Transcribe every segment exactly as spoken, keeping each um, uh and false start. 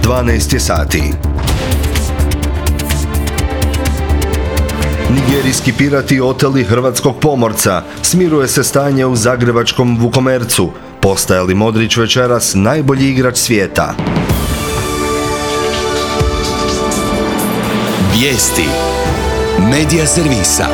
dvanaest je sati. Nigerijski pirati oteli hrvatskog pomorca. Smiruje se stanje u zagrebačkom Vukomercu. Postaje li Modrić večeras najbolji igrač svijeta? Vijesti Medija servisa.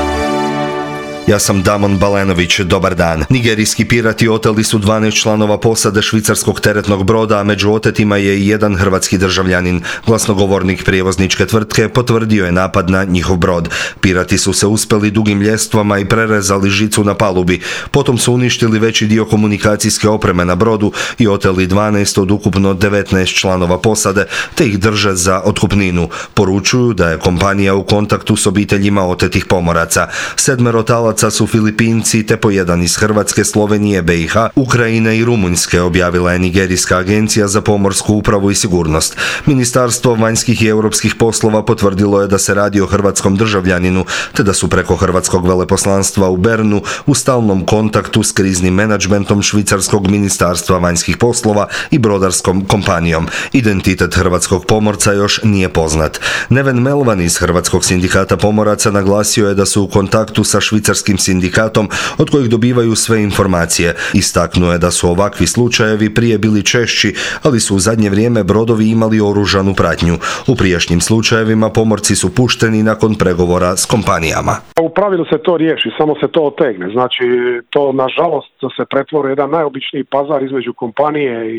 Ja sam Damon Balenović, dobar dan. Nigerijski pirati oteli su dvanaest članova posade švicarskog teretnog broda, a među otetima je i jedan hrvatski državljanin. Glasnogovornik prijevozničke tvrtke potvrdio je napad na njihov brod. Pirati su se uspjeli dugim ljestvama i prerezali žicu na palubi. Potom su uništili veći dio komunikacijske opreme na brodu i oteli dvanaest od ukupno devetnaest članova posade, te ih drže za otkupninu. Poručuju da je kompanija u kontaktu s obiteljima otetih pomoraca. Sedmero talaca su Filipinci, te po jedan iz Hrvatske, Slovenije, B i H, Ukrajine i Rumunjske, objavila je Nigerijska agencija za pomorsku upravu i sigurnost. Ministarstvo vanjskih i europskih poslova potvrdilo je da se radi o hrvatskom državljaninu, te da su preko hrvatskog veleposlanstva u Bernu u stalnom kontaktu s kriznim menadžmentom švicarskog ministarstva vanjskih poslova i brodarskom kompanijom. Identitet hrvatskog pomorca još nije poznat. Neven Melvan iz Hrvatskog sindikata pomoraca naglasio je da su u kontaktu sa švicarskim sindikatom od kojih dobivaju sve informacije. Istaknuo je da su ovakvi slučajevi prije bili češći, ali su u zadnje vrijeme brodovi imali oružanu pratnju. U prijašnjim slučajevima pomorci su pušteni nakon pregovora s kompanijama. U pravilu se to riješi, samo se to otegne. Znači, to nažalost se pretvori jedan najobičniji pazar između kompanije i,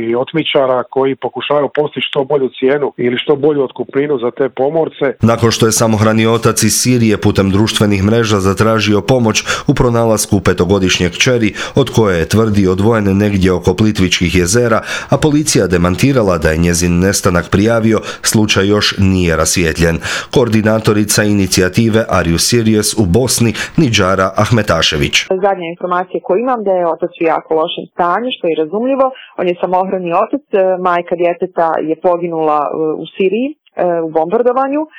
i otmičara koji pokušavaju postići što bolju cijenu ili što bolju otkupninu za te pomorce. Nakon što je samohrani otac iz Sirije putem društvenih mreža zatražio pomoć u pronalasku petogodišnje kćeri, od koje je tvrdi odvojen negdje oko Plitvičkih jezera, a policija demantirala da je njezin nestanak prijavio, slučaj još nije rasvijetljen. Koordinatorica inicijative Are You Serious u Bosni, Nidžara Ahmetašević. Zadnja informacija koju imam da je otac u jako lošem stanju, što je razumljivo. On je samohrani otac, majka djeteta je poginula u Siriji u bombardovanju.